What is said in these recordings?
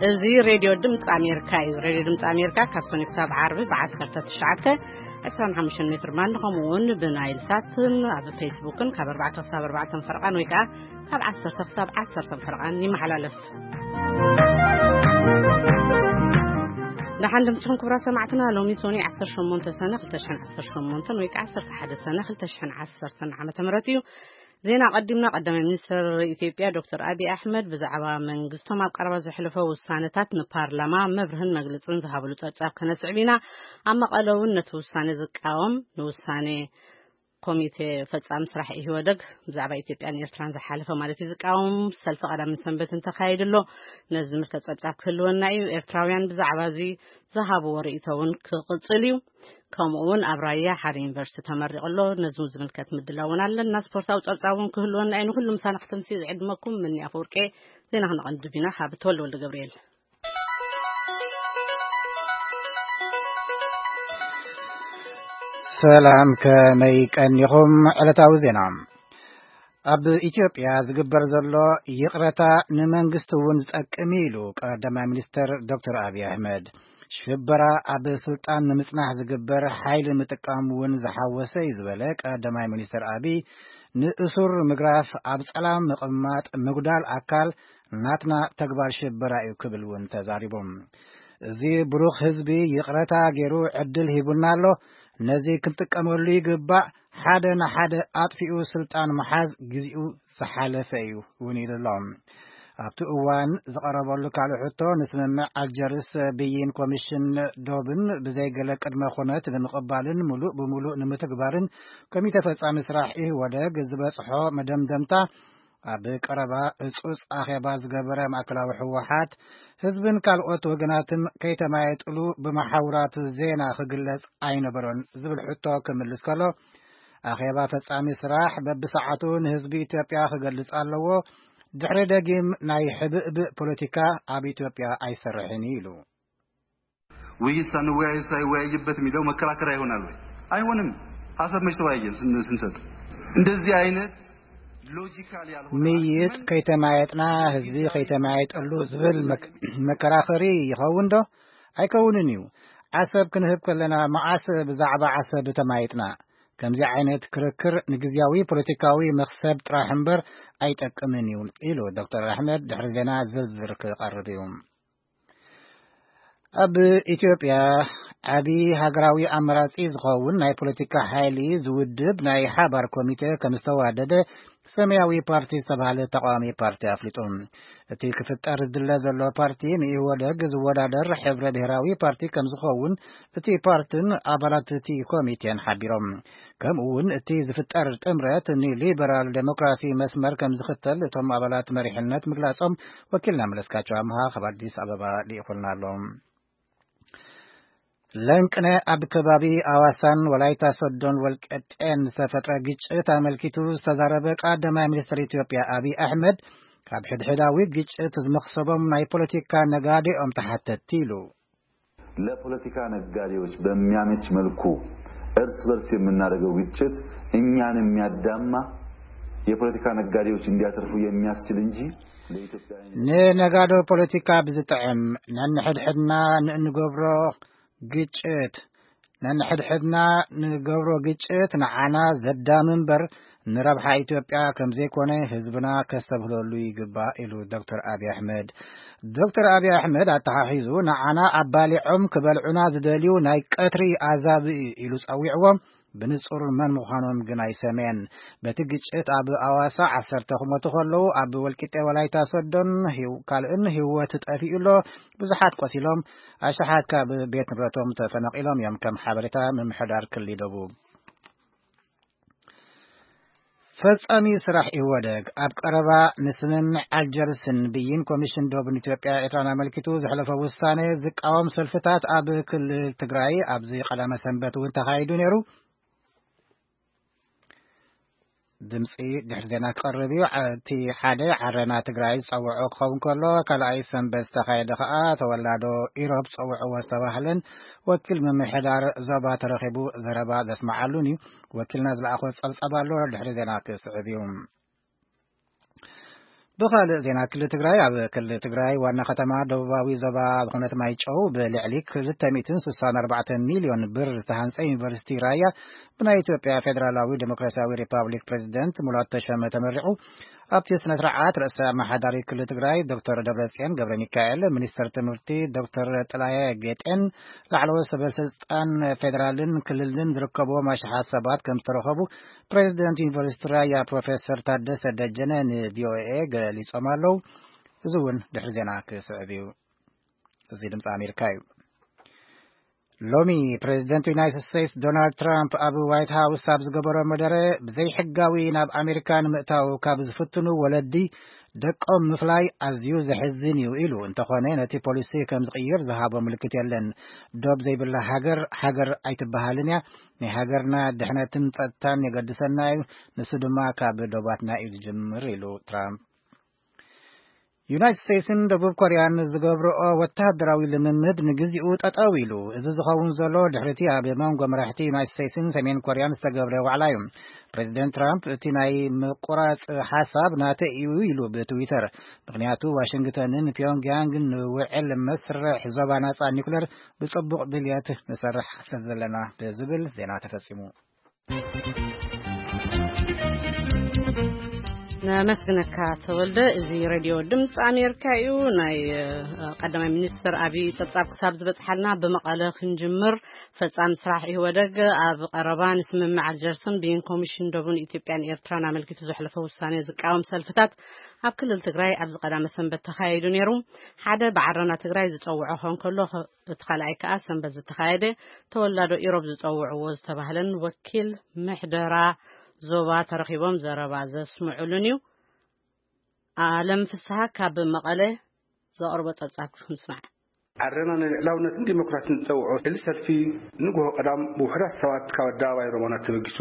እዚ ሬድዮ ድምፂ ኣሜሪካ እዩ። ሬድዮ ድምፂ ኣሜሪካ ካብ ሰኒ ክሳብ ዓርቢ ብ19 25 ሜትር ባንድ፣ ከምኡ እውን ብናይል ሳትን ኣብ ፌስቡክን ካብ ኣርባዕተ ክሳብ ኣርባዕተ ፈረቓን ወይ ከዓ ካብ ዓሰርተ ክሳብ ዓሰርተ ፈረቓን ይመሓላለፍ። ደሓን ድምፅኹም ክቡራት ሰማዕትና። ሎሚ ሶኒ 18 ሰነ 2018 ወይ ከዓ 11 ሰነ 2010 ዓመተ ምህረት እዩ። ዜና ቀዲምና። ቀዳማይ ሚኒስትር ኢትዮጵያ ዶክተር ኣቢይ ኣሕመድ ብዛዕባ መንግስቶም ኣብ ቀረባ ዘሕለፎ ውሳነታት ንፓርላማ መብርህን መግለፅን ዝሃብሉ ጸብጻብ ከነስዕብ ኢና። ኣብ መቐለ እውን ነቲ ውሳኔ ዝቃወም ንውሳኔ ኮሚቴ ፈጻሚ ስራሕ ኢህወደግ ብዛዕባ ኢትዮጵያን ኤርትራን ዝሓለፈ ማለት እዩ ዝቃወም ሰልፊ ቀዳምን ሰንበት እንተካይድ ኣሎ። ነዚ ዝምልከት ጸብጻብ ክህልወና እዩ። ኤርትራውያን ብዛዕባ እዚ ዝሃብዎ ርእይቶ እውን ክቕጽል እዩ። ከምኡ እውን ኣብ ራያ ሓደ ዩኒቨርሲቲ ተመሪቑ ኣሎ። ነዚ ዝምልከት ምድላውን ኣለና። ስፖርታዊ ጸብጻብ እውን ክህልወና እዩ። ንኹሉ ምሳና ክትምስዩ ዝዕድመኩም ምኒ ኣፈወርቄ። ዜና ክነቐንድብ ኢና ካብ ተወልደ ወልደ ገብርኤል። ሰላም፣ ከመይ ቀኒኹም? ዕለታዊ ዜና። ኣብ ኢትዮጵያ ዝግበር ዘሎ ይቕረታ ንመንግስቲ እውን ዝጠቅም ኢሉ ቀዳማይ ሚኒስተር ዶክተር ኣብይ ኣሕመድ። ሽበራ ኣብ ስልጣን ንምጽናሕ ዝግበር ሓይሊ ምጥቃም እውን ዝሓወሰ እዩ ዝበለ ቀዳማይ ሚኒስተር ኣብይ፣ ንእሱር ምግራፍ፣ ኣብ ጸላም ምቕማጥ፣ ምጉዳል ኣካል ናትና ተግባር ሽበራ እዩ ክብል እውን ተዛሪቦም። እዚ ብሩኽ ህዝቢ ይቕረታ ገይሩ ዕድል ሂቡና ኣሎ። ነዚ ክንጥቀመሉ ይግባእ። ሓደ ንሓደ ኣጥፊኡ ስልጣን ምሓዝ ግዚኡ ዝሓለፈ እዩ እውን ኢሉ ኣሎ። ኣብቲ እዋን ዝቐረበሉ ካልእ ሕቶ፣ ንስምምዕ ኣልጀርስ ብይን ኮሚሽን ዶብን ብዘይገለ ቅድመ ኩነት ንምቕባልን ሙሉእ ብሙሉእ ንምትግባርን ኮሚተ ፈጻሚ ስራሕ ኢህወደግ ዝበጽሖ መደምደምታ፣ ኣብ ቀረባ እጹጽ ኣኼባ ዝገበረ ማእከላዊ ህወሓት፣ ህዝብን ካልኦት ወገናትን ከይተማየጥሉ ብመሓውራት ዜና ክግለጽ ኣይነበሮን ዝብል ሕቶ ክምልስ ከሎ፣ ኣኼባ ፈጻሚ ስራሕ በብሰዓቱ ንህዝቢ ኢትዮጵያ ክገልጽ ኣለዎ። ድሕሪ ደጊም ናይ ሕብእብእ ፖለቲካ ኣብ ኢትዮጵያ ኣይሰርሕን እዩ ኢሉ። ውይይት ሳንወያይ ሳይወያይበት የሚለው መከራከሪያ ይሆናል ወይ? አይሆንም። ሀሳብ መች ተወያየን ስን-፣ ስንሰጥ? እንደዚህ አይነት ሎጂካል ያልሆነ ምይጥ አርጊመንት ከይተማየጥና ህዝቢ ከይተማየጠሉ ዝብል መክ-፣ መከራኸሪ ይኸውን ዶ? ኣይከውንን እዩ። ዓሰብ ክንህብ ከለና መዓስ ብዛዕባ ዓሰብ ተማይጥና? ከምዚ ዓይነት ክርክር ንግዝያዊ ፖለቲካዊ መኽሰብ ጥራሕ እምበር ኣይጠቅምን እዩ ኢሉ ዶክተር ኣሕመድ። ድሕሪ ዜና ዝርዝር ክቐርብ እዩ። ኣብ ኢትዮጵያ ዓቢ ሃገራዊ ኣማራጺ ዝኸውን ናይ ፖለቲካ ሓይሊ ዝውድብ ናይ ሓባር ኮሚቴ ከም ዝተዋደደ ሰማያዊ ፓርቲ ዝተባህለ ተቃዋሚ ፓርቲ ኣፍሊጡ። እቲ ክፍጠር ዝድለ ዘሎ ፓርቲ ንኢህወደግ ዝወዳደር ሕብረ ብሔራዊ ፓርቲ ከም ዝኸውን እቲ ፓርትን ኣባላት እቲ ኮሚቴን ሓቢሮም። ከምኡ እውን እቲ ዝፍጠር ጥምረት ንሊበራል ዴሞክራሲ መስመር ከም ዝኽተል እቶም ኣባላት መሪሕነት ምግላጾም ወኪልና መለስካቸው ኣምሃ ካብ ኣዲስ ኣበባ ልኢኹልና ኣሎ። ለንቅነ ኣብ ከባቢ ኣዋሳን ወላይታ ሶዶን ወልቀጤን ዝተፈጥረ ግጭት ኣመልኪቱ ዝተዛረበ ቀዳማይ ሚኒስትር ኢትዮጵያ ኣብይ ኣሕመድ፣ ካብ ሕድሕዳዊ ግጭት ዝመኽሰቦም ናይ ፖለቲካ ነጋዴኦም ተሓተትቲ ኢሉ። ለፖለቲካ ነጋዴዎች በሚያመች መልኩ እርስ በርስ የምናደርገው ግጭት እኛን የሚያዳማ የፖለቲካ ነጋዴዎች እንዲያተርፉ የሚያስችል እንጂ ለኢትዮጵያ ንነጋዶ ፖለቲካ ብዝጥዕም ነንሕድሕድና ንእንገብሮ ግጭት፣ ነንሕድሕድና ንገብሮ ግጭት ንዓና ዘዳሚ እምበር ንረብሓ ኢትዮጵያ ከም ዘይኮነ ህዝብና ከስተብህለሉ ይግባእ ኢሉ ዶክተር ኣብይ ኣሕመድ። ዶክተር ኣብይ ኣሕመድ ኣተሓሒዙ ንዓና ኣባሊዖም ክበልዑና ዝደልዩ ናይ ቀትሪ ኣዛብእ ኢሉ ጸዊዕዎም። ብንጹር መን ምዃኖም ግን ኣይሰምየን። በቲ ግጭት ኣብ ኣዋሳ ዓሰርተ ክሞቱ ከለዉ፣ ኣብ ወልቂጤ ወላይታ ሶዶን ህው-፣ ካልእን ህይወት ጠፊኡ ኣሎ። ብዙሓት ቆሲሎም፣ ኣሽሓት ካብ ቤት ንብረቶም ተፈናቒሎም እዮም፣ ከም ሓበሬታ ምምሕዳር ክልል ደቡብ። ፈጻሚ ስራሕ ኢህወደግ ኣብ ቀረባ ንስምምዕ ኣልጀርስን ብይን ኮሚሽን ዶብን ኢትዮጵያ ኤርትራን ኣመልኪቱ ዘሕለፎ ውሳኔ ዝቃወም ሰልፍታት ኣብ ክልል ትግራይ ኣብዚ ቀዳመ ሰንበት እውን ተኻይዱ ነይሩ። ድምፂ ድሕሪ ዜና ክቐርብ እዩ። ዓ-፣ እቲ ሓደ ዓረና ትግራይ ዝፀውዖ ክኸውን ከሎ፣ ካልኣይ ሰንበት ዝተኻየደ ከዓ ተወላዶ ኢሮብ ፀውዕዎ ዝተባህለን ወኪል ምምሕዳር ዞባ ተረኺቡ ዘረባ ዘስመዓሉን እዩ። ወኪልና ዝለኣኾ ፀብፃብ ኣሎ፣ ድሕሪ ዜና ክስዕብ እዩ። ብኻልእ ዜና፣ ክልል ትግራይ፣ ኣብ ክልል ትግራይ ዋና ከተማ ደቡባዊ ዞባ ዝኾነት ማይጨው ብልዕሊ ክልተ ሚእትን ስሳን ኣርባዕተን ሚልዮን ብር ዝተሃንጸ ዩኒቨርሲቲ ራያ ብናይ ኢትዮጵያ ፌዴራላዊ ዴሞክራሲያዊ ሪፓብሊክ ፕሬዚደንት ሙላቱ ተሾመ ተመሪቑ። ኣብቲ ስነ ስርዓት ርእሰ ኣመሓዳሪ ክልል ትግራይ ዶክተር ደብረጽዮን ገብረ ሚካኤል፣ ሚኒስትር ትምህርቲ ዶክተር ጥላየ ጌጤን ላዕለዎት ሰበ ስልጣን ፌዴራልን ክልልን ዝርከብዎም ኣሽሓት ሰባት ከም ዝተረኸቡ ፕሬዚደንት ዩኒቨርሲቲ ራያ ፕሮፌሰር ታደሰ ደጀነ ን ቪ ኦ ኤ ገሊጾም ኣለዉ። እዚ እውን ድሕሪ ዜና ክስዕብ እዩ። እዚ ድምፂ ኣሜሪካ እዩ። ሎሚ ፕሬዚደንት ዩናይትድ ስቴትስ ዶናልድ ትራምፕ ኣብ ዋይት ሃውስ ኣብ ዝገበሮ መደረ፣ ብዘይሕጋዊ ናብ ኣሜሪካ ንምእታው ካብ ዝፍትኑ ወለዲ ደቆም ምፍላይ ኣዝዩ ዘሕዝን እዩ ኢሉ። እንተኾነ፣ ነቲ ፖሊሲ ከም ዝቕይር ዝሃቦ ምልክት የለን። ዶብ ዘይብላ ሃገር፣ ሃገር ኣይትበሃልን እያ። ናይ ሃገርና ድሕነትን ጸጥታን የገድሰና እዩ። ንሱ ድማ ካብ ዶባትና እዩ ዝጅምር ኢሉ ትራምፕ። ዩናይትድ ስቴትስን ደቡብ ኮርያን ዝገብርኦ ወተሃደራዊ ልምምድ ንግዚኡ ጠጠው ኢሉ። እዚ ዝኸውን ዘሎ ድሕሪቲ ኣብ መንጎ መራሕቲ ዩናይትድ ስቴትስን ሰሜን ኮርያን ዝተገብረ ዋዕላ እዩ። ፕሬዚደንት ትራምፕ እቲ ናይ ምቁራጽ ሓሳብ ናተይ እዩ ኢሉ ብትዊተር። ምኽንያቱ ዋሽንግተንን ፒዮንግያንግን ንውዕል መስርሕ ዞባ ናጻ ኒኩለር ብጽቡቕ ድልየት ንሰርሕ ስለ ዘለና ብዝብል ዜና ተፈጺሙ። ነመስግነካ ተወልደ። እዚ ሬድዮ ድምፂ ኣሜሪካ እዩ። ናይ ቀዳማይ ሚኒስትር ኣብይ ፀብፃብ ክሳብ ዝበፅሓልና ብመቐለ ክንጅምር። ፈፃሚ ስራሕ ኢህወደግ ኣብ ቀረባ ንስምምዕ ኣልጀርስን ብይን ኮሚሽን ደቡን ኢትዮጵያን ኤርትራን ኣመልኪቱ ዘሕለፈ ውሳኔ ዝቃወም ሰልፍታት ኣብ ክልል ትግራይ ኣብዚ ቀዳመ ሰንበት ተኻይዱ ነይሩ። ሓደ ብዓረና ትግራይ ዝፀውዖ ኾን ከሎ፣ እቲ ካልኣይ ከኣ ሰንበት ዝተኻየደ ተወላዶ ኢሮብ ዝጸውዕዎ ዝተባህለን ወኪል ምሕደራ ዞባ ተረኺቦም ዘረባ ዘስምዑሉን እዩ። ኣለም ፍስሃ ካብ መቐለ ዘቕርቦ ጸብጻብ ክንስማዕ። ዓረና ንልዕላውነትን ዲሞክራሲን ዝጸውዖ እዚ ሰልፊ ንግሆ ቀዳም ብውሑዳት ሰባት ካብ ኣደባባይ ሮማናት ተበጊሱ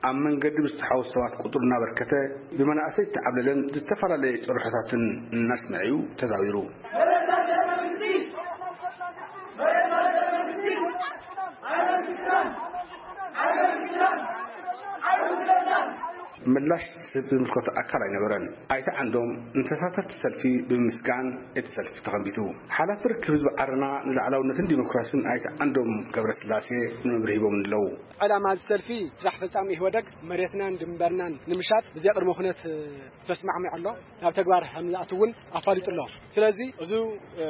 ኣብ መንገዲ ብዝተሓወሱ ሰባት ቁጥሩ እናበርከተ ብመናእሰይ ዝተዓብለለን ዝተፈላለየ ጭርሖታትን እናስምዐ እዩ ተዛዊሩ። ምላሽ ዝህብ ዝምልከቶ ኣካል ኣይነበረን። ኣይተ ዓንዶም ንተሳተፍቲ ሰልፊ ብምምስጋን እቲ ሰልፊ ተኸንቢቱ። ሓላፊ ርክብ ህዝቢ ዓረና ንላዕላውነትን ዲሞክራሲን ኣይተ ዓንዶም ገብረስላሴ ንመብርሂ ሂቦም ኣለዉ። ዕላማ እዚ ሰልፊ ስራሕ ፈጻሚ ኢህወደግ መሬትናን ድንበርናን ንምሻጥ ብዘይ ቅድመ ኩነት ተስማዕሚዑ ኣሎ። ናብ ተግባር ከም ዝኣቱ እውን ኣፋሊጡ ኣሎ። ስለዚ እዚ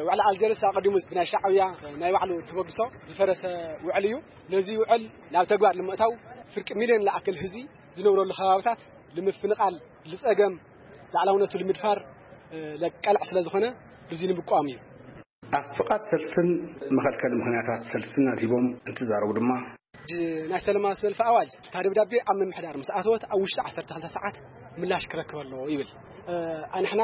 ውዕሊ ኣልጀርስ ኣቐዲሙ ብናይ ሻዕብያ ናይ ባዕሉ ተበግሶ ዝፈረሰ ውዕል እዩ። ነዚ ውዕል ናብ ተግባር ንምእታው ፍርቂ ሚልዮን ዝኣክል ህዝቢ ዝነብረሉ ከባብታት ንምፍንቓል፣ ዝጸገም ላዕላውነቱ ንምድፋር ለቀልዕ ስለ ዝኾነ እዚ ንምቋም እዩ። ኣብ ፍቓድ ሰልፍን መኸልከሊ ምኽንያታት ሰልፍን ኣድሂቦም እንትዛረቡ ድማ፣ ናይ ሰላማዊ ሰልፊ ኣዋጅ እታ ደብዳቤ ኣብ ምምሕዳር ምስ ኣተወት ኣብ ውሽጢ ዓሰርተ ክልተ ሰዓት ምላሽ ክረክብ ኣለዎ ይብል። ኣንሕና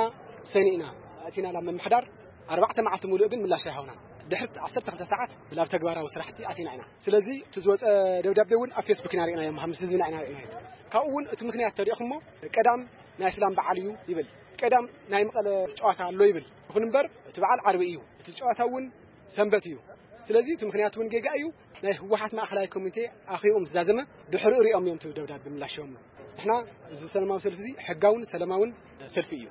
ሰኒእና ኣእቲና ናብ ምምሕዳር ኣርባዕተ መዓልቲ ሙሉእ ግን ምላሽ ኣይሃቡናን። ድሕሪ ዓሰርተ ክልተ ሰዓት ናብ ተግባራዊ ስራሕቲ ኣቲና ኢና። ስለዚ እቲ ዝወፀ ደብዳቤ እውን ኣብ ፌስቡክ ኢና ርኢናዮ፣ ምስ ህዝብና ኢና ርኢናዮ። ካብኡ እውን እቲ ምኽንያት ተሪእኹሞ ቀዳም ናይ እስላም በዓል እዩ ይብል፣ ቀዳም ናይ መቐለ ጨዋታ ኣሎ ይብል። ይኹን እምበር እቲ በዓል ዓርቢ እዩ፣ እቲ ጨዋታ እውን ሰንበት እዩ። ስለዚ እቲ ምኽንያት እውን ጌጋ እዩ። ናይ ህወሓት ማእኸላይ ኮሚቴ ኣኺኡ ምስ ዛዘመ ድሕሪኡ ሪኦም እዮም እቲ ደብዳቤ ምላሽ ሂቦምሉ። ንሕና እዚ ሰላማዊ ሰልፊ እዚ ሕጋውን ሰላማውን ሰልፊ እዩ።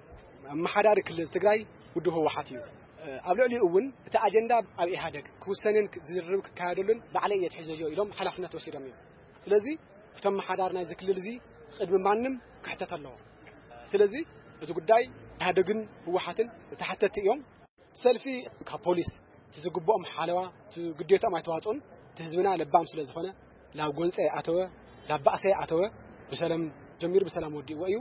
ኣመሓዳሪ ክልል ትግራይ ውድብ ህወሓት እዩ። ኣብ ልዕሊኡ እውን እቲ ኣጀንዳ ኣብ ኢህኣደግ ክውሰንን ዝርርብ ክካየደሉን ባዕለይ እየ ኣትሒዘዮ ኢሎም ሓላፍነት ወሲዶም እዮም። ስለዚ እቲ ኣመሓዳሪ ናይዚ ክልል እዚ ቅድሚ ማንም ክሕተት ኣለዎ። ስለዚ እዚ ጉዳይ ኢህኣደግን ህወሓትን ተሓተትቲ እዮም። ሰልፊ ካብ ፖሊስ እቲ ዝግብኦም ሓለዋ፣ እቲ ግዴትኦም ኣይተዋፅኡን። እቲ ህዝብና ለባም ስለ ዝኾነ ላብ ጎንፂ ኣይኣተወ፣ ላብ ባእሲ ኣይኣተወ፣ ብሰላም ጀሚሩ ብሰላም ወዲእዎ እዩ።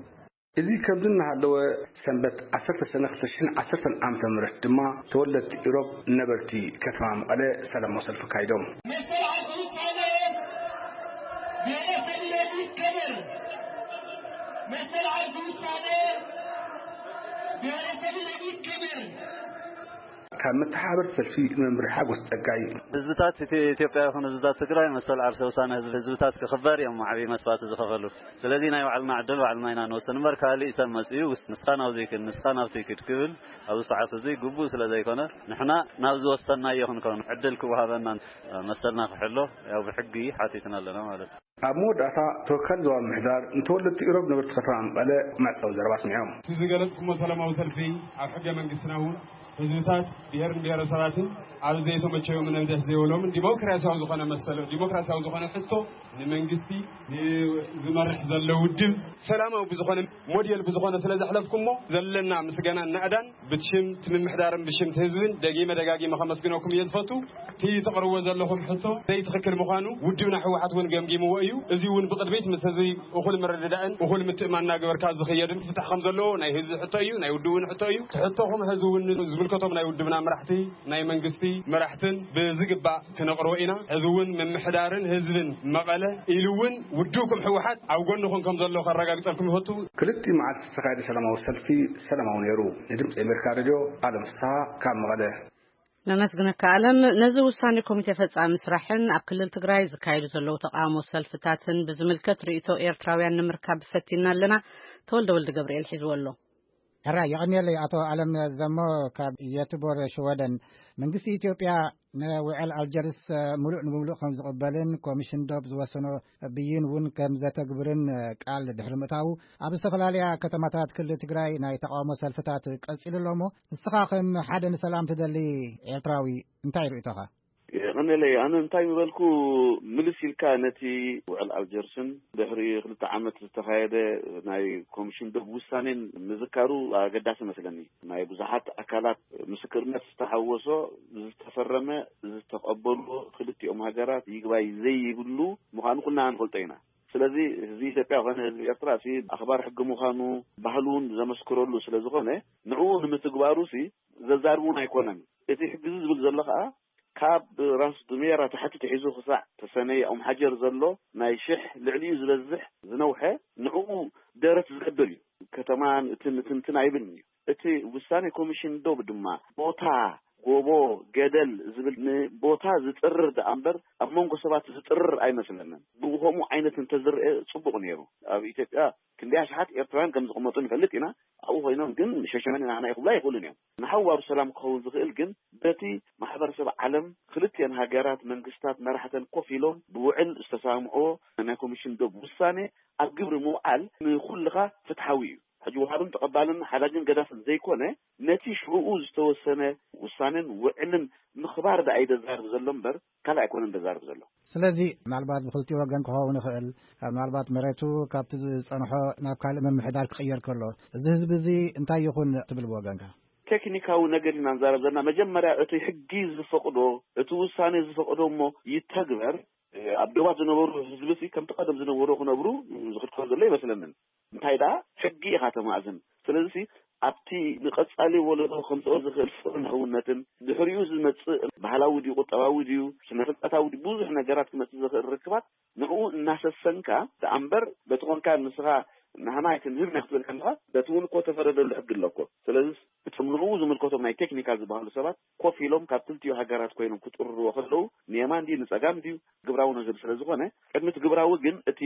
እዚ ከምዚ እናሃለወ ሰንበት ዓሰርተ ሰነ ክልተ ሽሕን ዓሰርተን ዓመተ ምህረት ድማ ተወለድቲ ኢሮብ ነበርቲ ከተማ መቐለ ሰላማዊ ሰልፊ ኣካይዶም። መሰል ዓርሱ ውሳነ ብሔረሰብ ኢሮብ ይከበር። መሰል ዓርሱ ውሳነ ብሔረሰብ ኢሮብ ይከበር። ካብ መተሓባበርቲ ሰልፊ ንመምህር ሓጎስ ጸጋይ። ህዝብታት ኢትዮ- ኢትዮጵያ ይኹን ህዝብታት ትግራይ መሰል ዓርሰ ውሳነ ህዝቢ ህዝብታት ክኽበር እዮም ዓብዪ መስዋዕቲ ዝኸፈሉ። ስለዚ ናይ ባዕልና ዕድል ባዕልና ኢና ንወስን እምበር ካሊእ ሰብ መፅኡ ውስ ንስኻ ናብዚ ክድ ንስኻ ናብቲ ክድ ክብል ኣብዚ ሰዓት እዚ ግቡእ ስለ ዘይኮነ ንሕና ናብ ዝወሰናዮ ክንከውን ዕድል ክወሃበና መሰልና ክሕሎ ያው ብሕጊ ሓቲትና ኣለና ማለት እዩ። ኣብ መወዳእታ ተወካሊ ዞባ ምምሕዳር ንተወለድቲ ኢሮብ ነበርቲ ከተማ መቐለ መዕጸዊ ዘረባ ኣስሚዖም። እቲ ዝገለጽኩሞ ሰላማዊ ሰልፊ ኣብ ሕገ መንግስትና እውን ህዝብታት ብሄርን ብሄረሰባትን ኣብ ዘይተመቸዮም ነብደስ ዘይብሎምን ዲሞክራሲያዊ ዝኾነ መሰሎ ዲሞክራሲያዊ ዝኾነ ሕቶ ንመንግስቲ ንዝመርሕ ዘሎ ውድብ ሰላማዊ ብዝኾነ ሞዴል ብዝኾነ ስለ ዘሕለፍኩሞ ዘለና ምስጋናን ናእዳን ብትሽም እቲ ምምሕዳርን ብሽም እቲ ህዝብን ደጊመ ደጋጊመ ከመስግነኩም እየ ዝፈቱ። እቲ ተቕርቦ ዘለኹም ሕቶ ዘይትኽክል ምዃኑ ውድብና ህወሓት እውን ገምጊምዎ እዩ። እዚ እውን ብቕድሚት ምስ ህዝቢ እኹል ምርድዳእን እኹል ምትእማን እናገበርካ ዝኽየድን ክፍታሕ ከም ዘለዎ ናይ ህዝቢ ሕቶ እዩ፣ ናይ ውድብ እውን ሕቶ እዩ። እቲ ሕቶኹም ሕዚ እውን ዝምልከቶም ናይ ውድብና መራሕቲ፣ ናይ መንግስቲ መራሕትን ብዝግባእ ክነቕርቦ ኢና። ሕዚ እውን ምምሕዳርን ህዝብን መቐለ ኢሉ እውን ውድብኩም ህወሓት ኣብ ጎንኹም ከም ዘሎ ከረጋግፀልኩም ይፈቱ። ክልቲኡ መዓልቲ ዝተኻየደ ሰላማዊ ሰልፊ ሰላማዊ ነይሩ። ንድምፂ ኣሜሪካ ሬድዮ ኣለም ፍስሃ ካብ መቐለ። ነመስግነካ ኣለም። ነዚ ውሳኔ ኮሚቴ ፈጻሚ ስራሕን ኣብ ክልል ትግራይ ዝካየዱ ዘለዉ ተቃውሞ ሰልፍታትን ብዝምልከት ርእይቶ ኤርትራውያን ንምርካብ ፈቲና ኣለና። ተወልደ ወልደ ገብርኤል ሒዝዎ ኣሎ። ሕራይ የቐንየለይ ኣቶ ኣለም ዘሞ ካብ የትቦር ሽወደን። መንግስቲ ኢትዮጵያ ንውዕል ኣልጀርስ ሙሉእ ንሙሉእ ከም ዝቕበልን ኮሚሽን ዶብ ዝወሰኖ ብይን እውን ከም ዘተግብርን ቃል ድሕሪ ምእታዉ ኣብ ዝተፈላለያ ከተማታት ክልል ትግራይ ናይ ተቃውሞ ሰልፍታት ቀጺሉ ኣሎ። እሞ ንስኻ ከም ሓደ ንሰላም ትደሊ ኤርትራዊ እንታይ ርእይቶኻ? የቐንየለይ ኣነ እንታይ ምበልኩ ምልስ ኢልካ ነቲ ውዕል ኣልጀርስን ድሕሪ ክልተ ዓመት ዝተኻየደ ናይ ኮሚሽን ዶብ ውሳኔን ምዝካሩ ኣገዳሲ መስለኒ። ናይ ብዙሓት ኣካላት ምስክርነት ዝተሓወሶ ዝተፈረመ ዝተቐበልዎ ክልቲኦም ሃገራት ይግባይ ዘይብሉ ምዃኑ ኩልና ንፈልጦ ኢና። ስለዚ ህዝቢ ኢትዮጵያ ኮነ ህዝቢ ኤርትራ ሲ ኣኽባር ሕጊ ምዃኑ ባህሉ እውን ዘመስክረሉ ስለ ዝኾነ ንዕኡ ንምትግባሩ ሲ ዘዛርብ እውን ኣይኮነን። እቲ ሕጊ እዚ ዝብል ዘሎ ከዓ ካብ ራስ ዱሜራ ታሕቲ ተሒዙ ክሳዕ ተሰነይ ኦም ሓጀር ዘሎ ናይ ሽሕ ልዕሊኡ ዝበዝሕ ዝነውሐ ንዕኡ ደረት ዝገድር እዩ። ከተማን እትን እትንትን ኣይብልን እዩ። እቲ ውሳኔ ኮሚሽን ዶብ ድማ ቦታ ጎቦ ገደል ዝብል ንቦታ ዝጥርር ደኣ እምበር ኣብ መንጎ ሰባት ዝጥርር ኣይመስለንን። ብኡ ከምኡ ዓይነት እንተዝርአ ጽቡቕ ነይሩ። ኣብ ኢትዮጵያ ክንደይ ኣሽሓት ኤርትራውያን ከም ዝቕመጡ ንፈልጥ ኢና። ኣብኡ ኮይኖም ግን ሸሸመኒ ናህና ይኽብሉ ኣይኽእሉን እዮም። ንሓዋሩ ሰላም ክኸውን ዝኽእል ግን በቲ ማሕበረሰብ ዓለም ክልቲአን ሃገራት መንግስታት መራሕተን ኮፍ ኢሎም ብውዕል ዝተሰማምዕዎ ናይ ኮሚሽን ዶብ ውሳኔ ኣብ ግብሪ ምውዓል ንኹልኻ ፍትሓዊ እዩ። ሕጂ ወሃብን ተቐባልን ሓዳግን ገዳፍን ዘይኮነ ነቲ ሽዑኡ ዝተወሰነ ውሳኔን ውዕልን ምኽባር ደኣ እዩ ዘዛርብ ዘሎ እምበር ካልእ ኣይኮነን ዘዛርብ ዘሎ። ስለዚ ምናልባት ብክልቲኡ ወገን ክኸውን ይኽእል፣ ምናልባት መሬቱ ካብቲ ዝጸንሖ ናብ ካልእ ምምሕዳር ክቕየር ከሎ እዚ ህዝቢ እዚ እንታይ ይኹን ትብል ብወገንካ? ቴክኒካዊ ነገር ኢና ንዛረብ ዘለና። መጀመርያ እቲ ሕጊ ዝፈቕዶ እቲ ውሳኔ ዝፈቕዶ እሞ ይተግበር። ኣብ ዶባት ዝነበሩ ህዝቢ ሲ ከምቲ ቀደም ዝነበሩ ክነብሩ ዝኽልከሎ ዘሎ ይመስለንን። እንታይ ደኣ ሕጊ ኢኻ ተማእዝን። ስለዚ ኣብቲ ንቐጻሊ ወለዶ ከምጽኦ ዝኽእል ፍቕርን ሕውነትን ድሕሪኡ ዝመጽእ ባህላዊ ድዩ ቁጠባዊ ድዩ ስነ ፍልጠታዊ ድዩ ብዙሕ ነገራት ክመጽእ ዝኽእል ርክባት ንዕኡ እናሰሰንካ ደኣ እምበር በቲ ኮንካ ንስኻ ናህና ኣይትንህብ ናይ ክትብል ከለኻ በቲ እውን እኮ ተፈረደሉ ሕጊ ኣሎ እኮ። ስለዚ እቶም ንዕኡ ዝምልከቶም ናይ ቴክኒካል ዝበሃሉ ሰባት ኮፍ ኢሎም ካብ ክልቲኡ ሃገራት ኮይኖም ክጥርርዎ ከለዉ ንየማን ድዩ ንጸጋም ድዩ ግብራዊ ነገር ስለ ዝኾነ ቅድሚ እቲ ግብራዊ ግን እቲ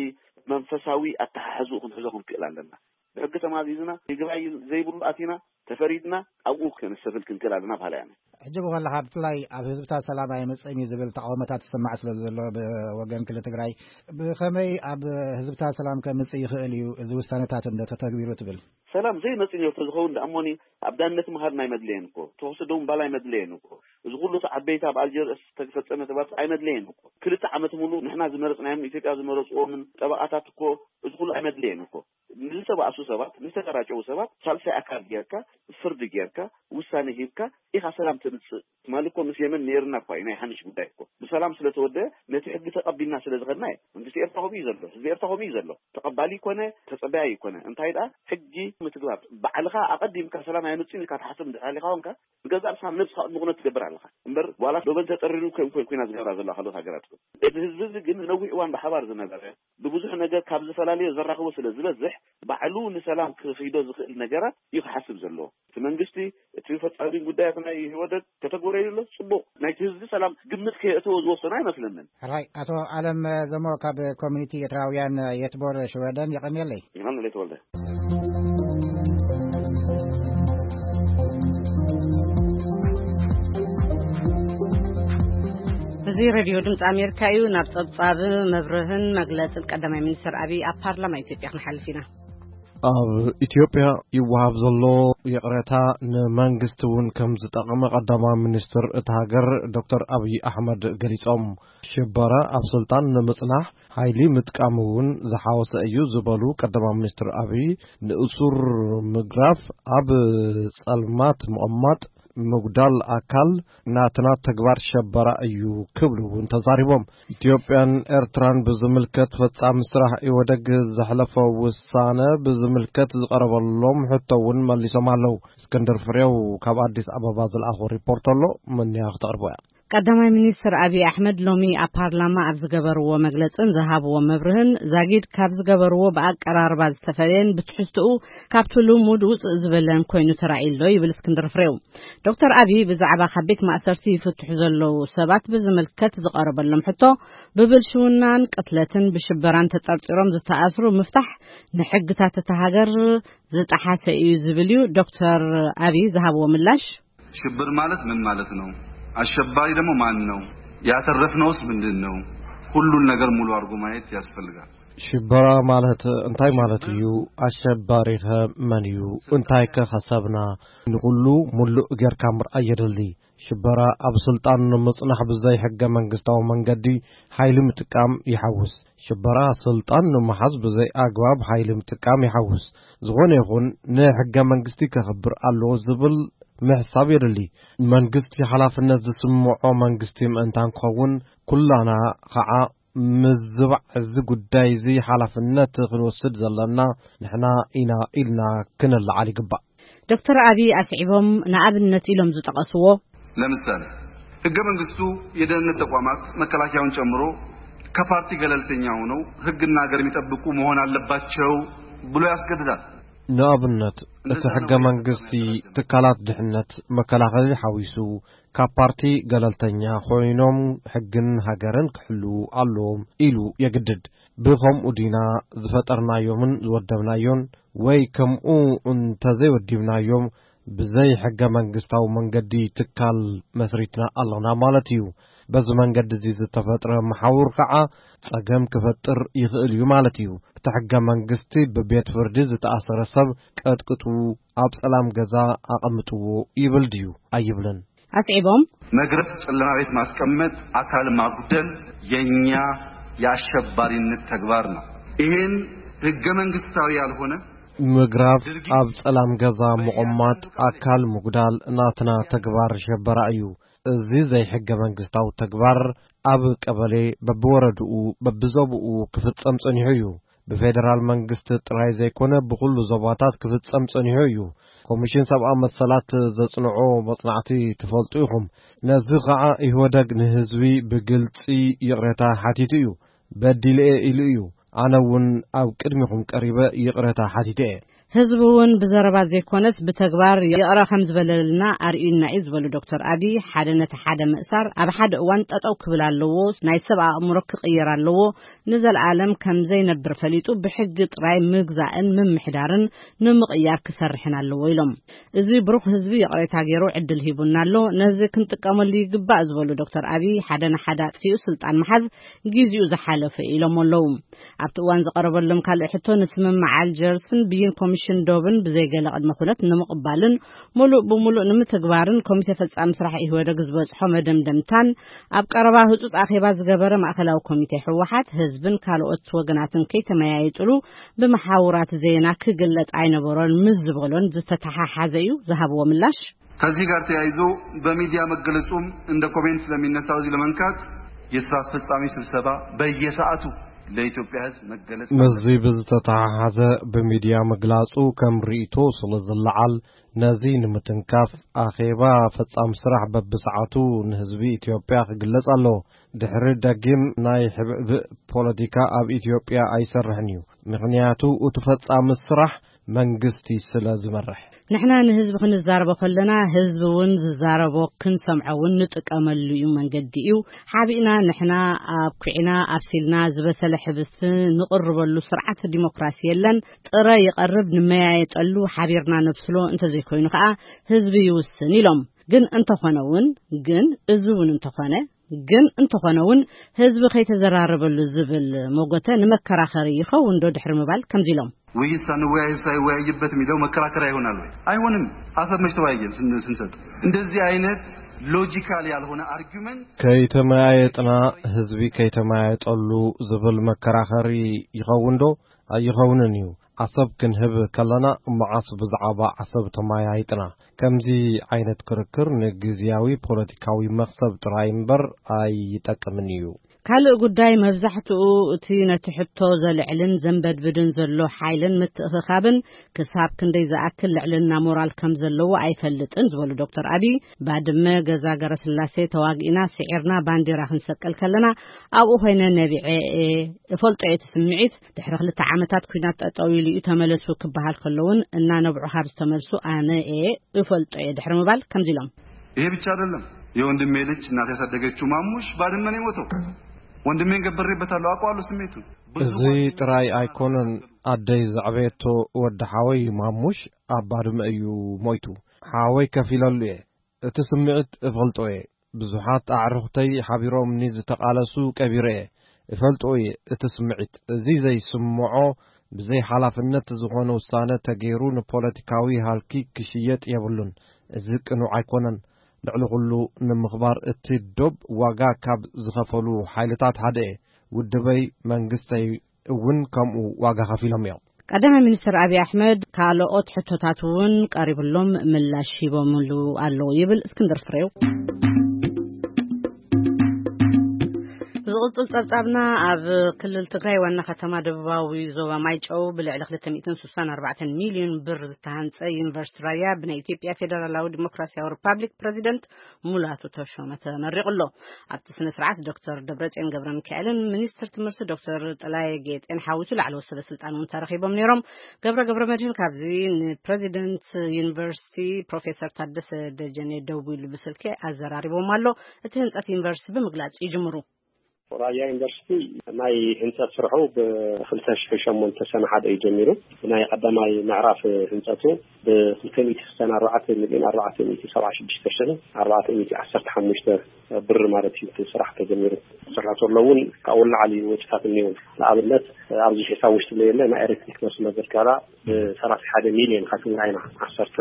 መንፈሳዊ ኣተሓሕዝኡ ክንሕዞ ክንክእል ኣለና። ብሕጊ ተማዚዝና ይግባይ ዘይብሉ ኣቲና ተፈሪድና ኣብኡ ከነሰፍል ክንክእል ኣለና በሃላይ ኣነ። ሕጂ ብኸለኻ ብፍላይ ኣብ ህዝብታት ሰላም ኣይመጽእን እዩ ዝብል ተቃውሞታት ትስማዕ ስለ ዘሎ ብወገን ክልል ትግራይ ብኸመይ ኣብ ህዝብታት ሰላም ከምጽእ ይኽእል እዩ እዚ ውሳነታት እንደ ተተግቢሩ ትብል? ሰላም ዘይመጽእ ነርቶ ዝኸውን ደኣ እሞኒ ኣብ ዳነት ምሃር ናይ መድለየን እኮ ተወስዶ ምባል ኣይመድለየን እኮ። እዚ ኩሉ እቲ ዓበይቲ ኣብ ኣልጀርስ ዝተፈጸመ ተባርት ኣይመድለየን እኮ። ክልተ ዓመት ሙሉ ንሕና ዝመረጽናዮም ኢትዮጵያ ዝመረጽዎምን ጠበቓታት እኮ እዚ ኩሉ ኣይመድለየን እኮ። ንዝተባእሱ ሰባት ንዝተጋራጨዉ ሰባት ሳልሳይ ኣካል ጌርካ ፍርዲ ጌርካ ውሳኔ ሂብካ ኢኻ ሰላም ተምጽእ። ትማሊ እኮ ምስ የመን ነይርና እኳ እዩ ናይ ሓንሽ ጉዳይ እኮ ብሰላም ስለተወደ ነቲ ሕጊ ተቐቢልና ስለ ዝኸድና እዩ። መንግስቲ ኤርትራ ከምኡ እዩ ዘሎ፣ ህዝቢ ኤርትራ ከምኡ እዩ ዘሎ። ተቐባሊ ይኮነ ተጸባያይ ይኮነ እንታይ ደኣ ሕጊ ምትግባር ባዕልኻ ኣቐዲምካ ሰላም ኣይምጽእን ኢልካ ትሓስብ እንድሕር ሃሊኻ ኮንካ ንገዛእ ርእስኻ ነብስኻ ቅድሚ ኩነት ትገብር ኣለኻ እምበር ዋላ ዶበን ተጠሪሩ ከም ኮይ ኮይና ዝገብራ ዘለዋ ካልኦት ሃገራት እኮ። እዚ ህዝቢ እዚ ግን ንነዊሕ እዋን ብሓባር ዝነበረ ብብዙሕ ነገር ካብ ዝፈላለዮ ዘራኽቦ ስለ ዝበዝሕ ባዕሉ ንሰላም ክኺዶ ዝኽእል ነገራት እዩ ክሓስብ ዘለዎ። እቲ መንግስቲ፣ እቲ ፈጻሚ ጉዳያት ናይ ህወደግ ከተግበረሉ ኣሎ፣ ጽቡቕ። ናይቲ ህዝቢ ሰላም ግምት ከየእተወ ዝወሰነ ኣይመስለንን። ሕራይ፣ ኣቶ ኣለም ዘሞ ካብ ኮሚኒቲ ኤርትራውያን የትቦር ሽወደን፣ የቐንየለይ። ይቐንለይ ተወልደ። እዚ ሬድዮ ድምፂ ኣሜሪካ እዩ። ናብ ጸብጻብ፣ መብርህን መግለጽን ቀዳማይ ሚኒስትር ኣብይ ኣብ ፓርላማ ኢትዮጵያ ክንሓልፍ ኢና። ኣብ ኢትዮጵያ ይወሃብ ዘሎ ይቕሬታ ንመንግስቲ እውን ከም ዝጠቕመ ቀዳማይ ሚኒስትር እታ ሃገር ዶክተር ኣብይ ኣሕመድ ገሊጾም። ሽበራ ኣብ ስልጣን ንምጽናሕ ሓይሊ ምጥቃም እውን ዝሓወሰ እዩ ዝበሉ ቀዳማይ ሚኒስትር ኣብይ፣ ንእሱር ምግራፍ፣ ኣብ ጸልማት ምቕማጥ፣ ምጉዳል ኣካል ናትና ተግባር ሸበራ እዩ ክብሉ እውን ተዛሪቦም። ኢትዮጵያን ኤርትራን ብዝምልከት ፈጻሚ ስራሕ ኢህወደግ ዘሕለፎ ውሳነ ብዝምልከት ዝቐረበሎም ሕቶ እውን መሊሶም ኣለዉ። እስክንድር ፍሬው ካብ ኣዲስ ኣበባ ዝለኣኾ ሪፖርት ኣሎ፣ መንያ ክተቕርቦ እያ። ቀዳማይ ሚኒስትር ኣብይ ኣሕመድ ሎሚ ኣብ ፓርላማ ኣብ ዝገበርዎ መግለጽን ዝሃብዎ መብርህን፣ ዛጊድ ካብ ዝገበርዎ ብኣቀራርባ ዝተፈለየን ብትሕዝትኡ ካብቲ ልሙድ ውፅእ ዝበለን ኮይኑ ተራእዩ ኣሎ ይብል እስክንድር ፍሬው። ዶክተር ኣብይ ብዛዕባ ካብ ቤት ማእሰርቲ ይፍትሑ ዘለዉ ሰባት ብዝምልከት ዝቐረበሎም ሕቶ፣ ብብልሽውናን ቅትለትን ብሽበራን ተጠርጢሮም ዝተኣስሩ ምፍታሕ ንሕግታት እታ ሃገር ዝጠሓሰ እዩ ዝብል እዩ። ዶክተር ኣብይ ዝሃብዎ ምላሽ፣ ሽብር ማለት ምን ማለት ነው? አሸባሪ ደግሞ ማን ነው? ያተረፍነውስ ምንድን ነው? ሁሉን ነገር ሙሉ አድርጎ ማየት ያስፈልጋል። ሽበራ ማለት እንታይ ማለት እዩ? ኣሸባሪኸ መን እዩ? እንታይከ ከሰብና? ንኹሉ ሙሉእ ጌርካ ምርኣይ የድሊ። ሽበራ ኣብ ስልጣን ንምጽናሕ ብዘይ ሕገ መንግስታዊ መንገዲ ሓይሊ ምጥቃም ይሓውስ። ሽበራ ስልጣን ንምሓዝ ብዘይ ኣግባብ ሓይሊ ምጥቃም ይሓውስ። ዝኾነ ይኹን ንሕገ መንግስቲ ከኽብር ኣለዎ ዝብል ምሕሳብ የድሊ። መንግስቲ ሓላፍነት ዝስምዖ መንግስቲ ምእንታን ክኸውን፣ ኩላና ኸዓ ምዝባዕ እዚ ጉዳይ እዚ ሓላፍነት ክንወስድ ዘለና ንሕና ኢና ኢልና ክነለዓል ይግባእ። ዶክተር ኣብይ ኣስዒቦም ንኣብነት ኢሎም ዝጠቐስዎ፣ ለምሳሌ፣ ህገ መንግስቱ የደህንነት ተቋማት መከላከያውን ጨምሮ ከፓርቲ ገለልተኛ ሆነው ህግና ሀገር የሚጠብቁ መሆን አለባቸው ብሎ ያስገድዳል። ንኣብነት፣ እቲ ሕገ መንግስቲ ትካላት ድሕነት መከላኸሊ ሓዊሱ ካብ ፓርቲ ገለልተኛ ኮይኖም ሕግን ሃገርን ክሕልዉ ኣለዎም ኢሉ የግድድ። ብኸምኡ ዲና ዝፈጠርናዮምን ዝወደብናዮን? ወይ ከምኡ እንተዘይወዲብናዮም ብዘይ ሕገ መንግስታዊ መንገዲ ትካል መስሪትና ኣለና ማለት እዩ። በዚ መንገዲ እዚ ዝተፈጥረ መሓውር ከዓ ጸገም ክፈጥር ይኽእል እዩ ማለት እዩ። እቲ ሕገ መንግስቲ ብቤት ፍርዲ ዝተኣሰረ ሰብ ቀጥቅጡ፣ ኣብ ጸላም ገዛ ኣቐምጥዎ ይብል ድዩ? ኣይብልን። ኣስዒቦም፣ መግረፍ፣ ጨለማ ቤት ማስቀመጥ፣ አካል ማጉደል የኛ የአሸባሪነት ተግባር ነው። ይህን ህገ መንግስታዊ ያልሆነ ምግራፍ፣ ኣብ ጸላም ገዛ ምቕማጥ፣ ኣካል ምጉዳል ናትና ተግባር ሸበራ እዩ። እዚ ዘይሕገ መንግስታዊ ተግባር ኣብ ቀበሌ በብወረድኡ በብዞብኡ ክፍጸም ጸኒሑ እዩ። ብፌደራል መንግስቲ ጥራይ ዘይኮነ ብኹሉ ዞባታት ክፍጸም ጸኒሑ እዩ። ኮሚሽን ሰብኣዊ መሰላት ዘጽንዖ መጽናዕቲ ትፈልጡ ኢኹም። ነዚ ኸዓ ኢህወደግ ንህዝቢ ብግልጺ ይቕሬታ ሓቲቱ እዩ። በዲለ እየ ኢሉ እዩ። ኣነ እውን ኣብ ቅድሚኹም ቀሪበ ይቕሬታ ሓቲተ እየ። ህዝቢ እውን ብዘረባ ዘይኮነስ ብተግባር ይቕረ ከም ዝበለልና ኣርእዩና እዩ ዝበሉ ዶክተር ኣብይ፣ ሓደ ነቲ ሓደ ምእሳር ኣብ ሓደ እዋን ጠጠው ክብል ኣለዎ፣ ናይ ሰብ ኣእምሮ ክቕየር ኣለዎ፣ ንዘለኣለም ከም ዘይነብር ፈሊጡ ብሕጊ ጥራይ ምግዛእን ምምሕዳርን ንምቕያር ክሰርሕን ኣለዎ ኢሎም። እዚ ብሩኽ ህዝቢ ይቕሬታ ገይሩ ዕድል ሂቡና ኣሎ፣ ነዚ ክንጥቀመሉ ይግባእ ዝበሉ ዶክተር ኣብይ፣ ሓደ ንሓደ ኣጥፊኡ ስልጣን ምሓዝ ጊዜኡ ዝሓለፈ ኢሎም ኣለዉ። ኣብቲ እዋን ዝቐረበሎም ካልእ ሕቶ፣ ንስምምዕ ኣልጀርስን ብይን ኮሚሽን ዶብን ብዘይገለ ቅድመ ኩነት ንምቕባልን ሙሉእ ብሙሉእ ንምትግባርን ኮሚቴ ፈጻሚ ስራሕ ኢህወደግ ዝበጽሖ መደምደምታን ኣብ ቀረባ ህጹጽ ኣኼባ ዝገበረ ማእከላዊ ኮሚቴ ህወሓት ህዝብን ካልኦት ወገናትን ከይተመያየጥሉ ብመሓውራት ዜና ክግለጽ ኣይነበሮን ምስ ዝበሎን ዝተተሓሓዘ እዩ ዝሃብዎ ምላሽ። ከዚህ ጋር ተያይዞ በሚዲያ መገለጹም እንደ ኮሜንት ስለሚነሳው እዚህ ለመንካት የስራ አስፈጻሚ ስብሰባ በየሰዓቱ ለኢትዮጵያ ህዝብ መገለጽ ምስዚ ብዝተተሓሓዘ ብሚድያ ምግላጹ ከም ርእይቶ ስለ ዝለዓል፣ ነዚ ንምትንካፍ ኣኼባ ፈጻሚ ስራሕ በብሰዓቱ ንህዝቢ ኢትዮጵያ ክግለጽ ኣለዎ። ድሕሪ ደጊም ናይ ሕብእብእ ፖለቲካ ኣብ ኢትዮጵያ ኣይሰርሕን እዩ። ምኽንያቱ እቲ ፈጻሚ ስራሕ መንግስቲ ስለ ዝመርሕ። ንሕና ንህዝቢ ክንዛረቦ ከለና፣ ህዝቢ እውን ዝዛረቦ ክንሰምዖ እውን ንጥቀመሉ እዩ፣ መንገዲ እዩ። ሓቢእና ንሕና ኣብ ኩዒና ኣብሲልና ዝበሰለ ሕብስቲ ንቕርበሉ ስርዓት ዲሞክራሲ የለን። ጥረ ይቐርብ ንመያየጠሉ፣ ሓቢርና ነብስሎ፣ እንተዘይኮይኑ ከዓ ህዝቢ ይውስን ኢሎም። ግን እንተኾነ እውን፣ ግን እዚ እውን እንተኾነ፣ ግን እንተኾነ እውን ህዝቢ ከይተዘራረበሉ ዝብል መጎተ ንመከራኸሪ ይኸውን ዶ ድሕሪ ምባል ከምዚ ኢሎም። ውይይት ሳንወያይ ሳይወያይበት የሚለው መከራከሪያ ይሆናል ወይ? አይሆንም። አሰብ መች ተወያየን ስን- ስንሰጥ እንደዚህ አይነት ሎጂካል ያልሆነ አርጊመንት። ከይተመያየጥና፣ ህዝቢ ከይተመያየጠሉ ዝብል መከራኸሪ ይኸውን ዶ? ኣይኸውንን እዩ። ዓሰብ ክንህብ ከለና፣ መዓስ ብዛዕባ ዓሰብ ተመያይጥና? ከምዚ ዓይነት ክርክር ንግዝያዊ ፖለቲካዊ መኽሰብ ጥራይ እምበር ኣይጠቅምን እዩ። ካልእ ጉዳይ፣ መብዛሕትኡ እቲ ነቲ ሕቶ ዘልዕልን ዘንበድብድን ዘሎ ሓይልን ምትእኽኻብን ክሳብ ክንደይ ዝኣክል ልዕልና ሞራል ከም ዘለዎ ኣይፈልጥን ዝበሉ ዶክተር ኣቢይ፣ ባድመ፣ ገዛ ገረስላሴ ተዋጊእና ስዒርና ባንዲራ ክንሰቅል ከለና፣ ኣብኡ ኮይነ ነቢዐ እየ፣ እፈልጦ እየ እቲ ስምዒት። ድሕሪ ክልተ ዓመታት ኲናት ጠጠው ኢሉ እዩ ተመለሱ ክበሃል ከሎ እውን እናነብዑ ካብ ዝተመልሱ ኣነ እየ እፈልጦ እየ ድሕሪ ምባል ከምዚ ኢሎም። ይሄ ብቻ አይደለም። የወንድሜ ልጅ እናት ያሳደገችው ማሙሽ ባድመ ነው የሞተው። ወንድሜን ገብሬበታለሁ፣ አውቀዋለሁ ስሜቱን። ብዙ እዚ ጥራይ ኣይኮነን። ኣደይ ዘዕበየቶ ወዲ ሓወይ ማሙሽ ኣብ ባድመ እዩ ሞይቱ። ሓወይ ከፊለሉ እየ። እቲ ስምዒት እፈልጦ እየ። ብዙሓት ኣዕሩኽተይ ሓቢሮምኒ ዝተቓለሱ ቀቢረ እየ። እፈልጦ እየ እቲ ስምዒት። እዚ ዘይስምዖ ብዘይ ሓላፍነት ዝኾነ ውሳነ ተገይሩ ንፖለቲካዊ ሃልኪ ክሽየጥ የብሉን። እዚ ቅኑዕ ኣይኮነን። ልዕሊ ኩሉ ንምኽባር እቲ ዶብ ዋጋ ካብ ዝኸፈሉ ሓይልታት ሓደ እየ። ውድበይ መንግስተይ እውን ከምኡ ዋጋ ከፊሎም እዮም። ቀዳማይ ሚኒስትር ኣብይ ኣሕመድ ካልኦት ሕቶታት እውን ቀሪብሎም ምላሽ ሂቦምሉ ኣለዉ ይብል እስክንድር ፍሬው። ዝቕጽል ጸብጻብና፣ ኣብ ክልል ትግራይ ዋና ከተማ ደቡባዊ ዞባ ማይጨው ብልዕሊ ክልተ ሚእትን ስሳን ኣርባዕተን ሚልዮን ብር ዝተሃንጸ ዩኒቨርሲቲ ራያ ብናይ ኢትዮጵያ ፌደራላዊ ዲሞክራሲያዊ ሪፓብሊክ ፕሬዚደንት ሙላቱ ተሾመ ተመሪቑ ኣሎ። ኣብቲ ስነ ስርዓት ዶክተር ደብረጽዮን ገብረ ሚካኤልን ሚኒስትር ትምህርቲ ዶክተር ጥላየ ጌጤን ሓዊሱ ላዕለዎት ሰበ ስልጣን እውን ተረኺቦም ነይሮም። ገብረ ገብረ መድህን ካብዚ ንፕሬዚደንት ዩኒቨርሲቲ ፕሮፌሰር ታደሰ ደጀኔ ደዊሉ ብስልኪ ኣዘራሪቦም ኣሎ። እቲ ህንጸት ዩኒቨርሲቲ ብምግላጽ ይጅምሩ። ራያ ዩኒቨርሲቲ ናይ ህንጸት ስርሑ ብ ክልተ ሽሕን ሸሞንተ ሰነ ሓደ እዩ ጀሚሩ። ብናይ ቀዳማይ ምዕራፍ ህንጸቱ ብ ክልተ ሚእቲ ስሳን ኣርባዕተ ሚልዮን ኣርባዕተ ሚእቲ ሰብዓ ሽዱሽተ ሽሕን ኣርባዕተ ሚእቲ ዓሰርተ ሓሙሽተ ብር ማለት እዩ እቲ ስራሕ ተጀሚሩ። ስራሕ ዘሎ እውን ካብኡ ንላዕሊ ወጪታት እኒአው። ንኣብነት ኣብዚ ሒሳብ ውሽጢ ለየለ ናይ ኤሌክትሪክ መስመር ዘርጋላ ብሰላሳ ሓደ ሚልዮን ከፊልና ኢና። ዓሰርተ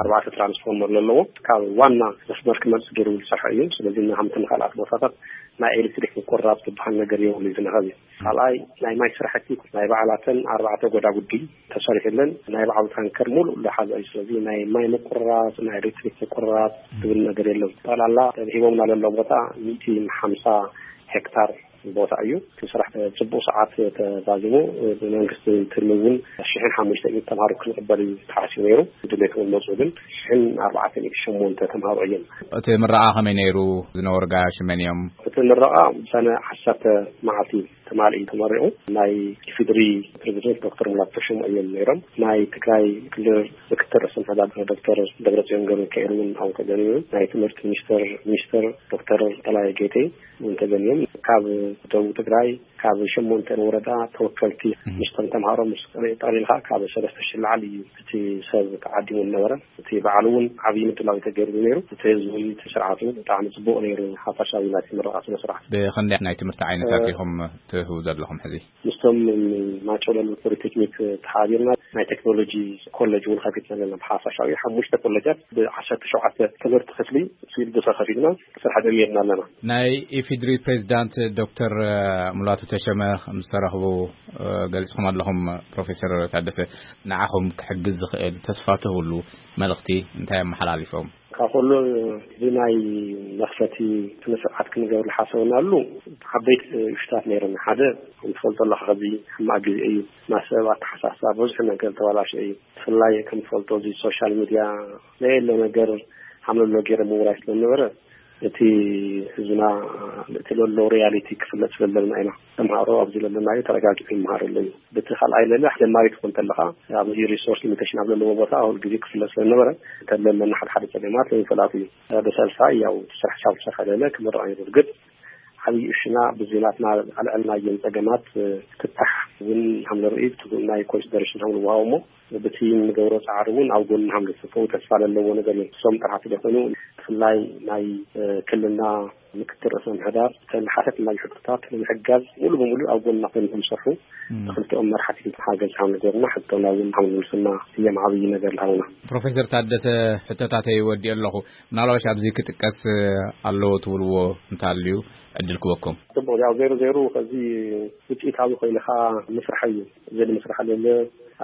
ኣርባዕተ ትራንስፎርመር ዘለዎ ካብ ዋና መስመር ክመጽእ ገይሩ ዝሰርሐ እዩ። ስለዚ ንሃምትን ካልኣት ቦታታት ናይ ኤሌክትሪክ ምቁርራጽ ዝበሃል ነገር የብሉ እዩ ዝነኸብ እዩ። ካልኣይ ናይ ማይ ስራሕቲ ናይ ባዕላተን ኣርባዕተ ጎዳጉዲ ተሰሪሑለን ናይ ባዕሉ ታንከር ሙሉእ ዝሓዘ እዩ። ስለዚ ናይ ማይ ምቁርራጽ ናይ ኤሌክትሪክ ምቁርራጽ ዝብል ነገር የለን። ጠቕላላ ሂቦምና ዘሎ ቦታ ሚእቲ ሓምሳ ሄክታር ቦታ እዩ። እቲ ስራሕ ጽቡቕ ሰዓት ተዛዚሙ ብመንግስቲ ትልሚ እውን ሽሕን ሓሙሽተ ሚእቲ ተምሃሮ ክንቕበል እዩ ተሓሲቡ ነይሩ። ድሌት እውን መፁ ግን ሽሕን ኣርባዕተ ሚእቲ ሸሞንተ ተምሃሮ እዮም። እቲ ምረቓ ከመይ ነይሩ? ዝነበሩ ጋያሹ መን እዮም? እቲ ምረቓ ሰነ ዓሰርተ መዓልቲ ተማልኢ ተመሪቑ። ናይ ኢፌድሪ ፕሬዚደንት ዶክተር ሙላቱ ተሾመ እዮም ነይሮም። ናይ ትግራይ ክልል ምክትል ርእሰ ምሕዳር ዶክተር ደብረፅዮን ገብረ ሚካኤል እውን ኣብኡ ተገኒዩ። ናይ ትምህርቲ ሚኒስትር ሚኒስትር ዶክተር ተላይ ጌቴ እውን ተገኒዮም። ካብ ደቡብ ትግራይ ካብ ሸሞንተን ወረዳ ተወከልቲ ምስቶም ተምሃሮ ምስ ጠቕሊልካ ካብ ሰለስተ ሽሕ ላዕሊ እዩ እቲ ሰብ ተዓዲሙ ዝነበረ። እቲ በዓል እውን ዓብዪ ምድላው ተገይሩ ነይሩ። እቲ ህዝቢ እቲ ስርዓቱ ብጣዕሚ ፅቡቕ ነይሩ። ሓፋሻዊ ናይቲ ምረቓ ስነ ስርዓት። ብኽንደይ ናይ ትምህርቲ ዓይነታት እ- ኢኹም ትህቡ ዘለኹም ሕዚ? ምስቶም ማጨሎ ፖሊቴክኒክ ተሓቢርና ናይ ቴክኖሎጂ ኮሌጅ እውን ከፊትና ኣለና። ብሓፋሻዊ ሓሙሽተ ኮሌጃት ብዓሰርተ ሸውዓተ ትምህርቲ ክፍሊ ሲቪል ተኸፊልና ስራሕ ጀሚርና ኣለና። ናይ ኢፌድሪ ፕሬዚዳንት ዶክተር ሙላቱ ተሸመ ምስ ተረኽቡ ገሊጽኩም ኣለኹም። ፕሮፌሰር ታደሰ፣ ንዓኹም ክሕግዝ ዝኽእል ተስፋ ትህብሉ መልእኽቲ እንታይ ኣመሓላሊፎም? ካብ ኩሉ እዚ ናይ መኽፈቲ ስነ ስርዓት ክንገብር ዝሓሰብናሉ ዓበይቲ እሽታት ነይሮም። ሓደ፣ ከም ትፈልጦ ኣለኻ፣ ከዚ ሕማቕ ግዜ እዩ። ማሰብ ኣተሓሳስባ ብዙሕ ነገር ተባላሸ እዩ። ብፍላይ ከም ትፈልጦ እዚ ሶሻል ሚድያ ዘየለ ነገር ሓምለሎ ገይረ ምውራይ ስለነበረ እቲ ህዝብና እቲ ለሎ ሪያሊቲ ክፍለጥ ስለለና ኢና። ተምሃሮ ኣብዚ ለለናዮ ተረጋጊዑ ይመሃር ኣሎ እዩ። በቲ ካልኣይ ለለ ጀማሪ ትኾን ተለኻ ኣብዚ ሪሶርስ ሊሚቴሽን ኣብ ዘለዎ ቦታ ሁል ግዜ ክፍለጥ ስለነበረ ተለለና ሓደ ሓደ ጸገማት ይፈላጥ እዩ። ብሰልሳ ያው ስራሕ ሻብ ዝሰርሐ ለለ ክምረቕ እዩ። እርግጥ ዓብዪ እሽና ብዚ ናትና ኣልዕልናየን ጸገማት ክታሕ እውን ሃምለ ርኢ ብትግኡ ናይ ኮንሲደሬሽን ሃምለ ውሃቦ እሞ ብቲ ንገብሮ ጻዕሪ እውን ኣብ ጎኒ ሃምለ ጽፈው ተስፋ ለለዎ ነገር እዮም። እሶም ጥራሕቲ ደኾኑ ብፍላይ ናይ ክልና ምክትል ርእሰ ምሕዳር ተን ሓተት ናይ ሕቶታት ንምሕጋዝ ሙሉ ብሙሉ ኣብ ጎንና ኮይኖም ዝሰርሑ ንክልቲኦም መራሕቲ ሓገዝ ከም ንገብርና ሕቶና እውን ከም ንምስና እየም ዓብዪ ነገር ዝሃቡና። ፕሮፌሰር ታደሰ፣ ሕቶታተይ ወዲኦ ኣለኹ። ምናልባሽ ኣብዚ ክጥቀስ ኣለዎ ትብልዎ እንተሃልዩ ዕድል ክበኩም። ጽቡቅ፣ ያው ዜሮ ዜሮ ከዚ ውፅኢታዊ ኮይንካ ምስራሕ እዩ። እዚ ንምስራሕ ለለ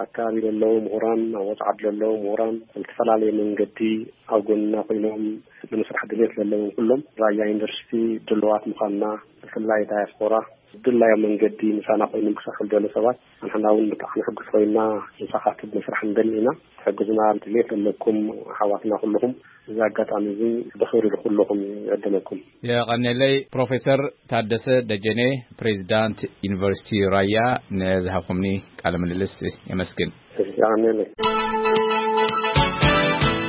ኣካባቢ ለለዉ ምሁራን ኣብ ወፃዓት ለለዉ ምሁራን ዝተፈላለየ መንገዲ ኣብ ጎንና ኮይኖም ንምስራሕ ድሌት ለለዎም ኩሎም ራያ ዩኒቨርሲቲ ድልዋት ምዃንና፣ ብፍላይ ዳያስፖራ ድላዮም መንገዲ ምሳና ኮይኖም ክሰርሑ ዝደለ ሰባት ኣንሕና እውን ብጣዕሚ ሕጉስ ኮይና ንሳኻትብ መስራሕ እንደሊ ኢና። ትሕግዙና ድሌት ዘለኩም ኣሓዋትና ኩልኹም እዚ ኣጋጣሚ እዚ ብኽብሪ ንኩልኹም ይዕደመኩም። የቐኔለይ። ፕሮፌሰር ታደሰ ደጀኔ፣ ፕሬዚዳንት ዩኒቨርሲቲ ራያ፣ ንዝሃብኩምኒ ቃለ ምልልስ የመስግን። የቐኔለይ።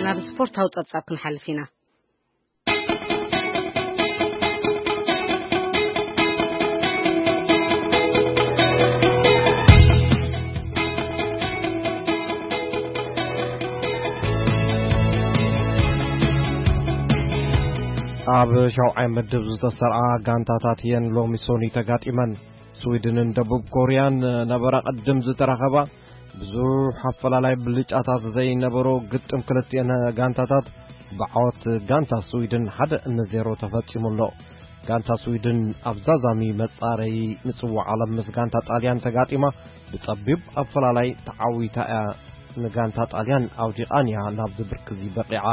ናብ ስፖርታዊ ጸብጻብ ክንሓልፍ ኢና። ኣብ ሻውዓይ ምድብ ዝተሰርዓ ጋንታታት እየን ሎሚ ሶኒ ተጋጢመን። ስዊድንን ደቡብ ኮርያን ነበራ ቅድም ዝተራኸባ ብዙሕ ኣፈላላይ ብልጫታት ዘይነበሮ ግጥም ክልቲአን ጋንታታት ብዓወት ጋንታ ስዊድን ሓደ ንዜሮ ተፈጺሙ ኣሎ። ጋንታ ስዊድን ኣብ ዛዛሚ መጻረዪ ንጽዋዕ ዓለም ምስ ጋንታ ጣልያን ተጋጢማ ብጸቢብ ኣፈላላይ ተዓዊታ እያ ንጋንታ ጣልያን ኣውዲቓን እያ ናብዚ ብርኪ እዚ በቒዓ።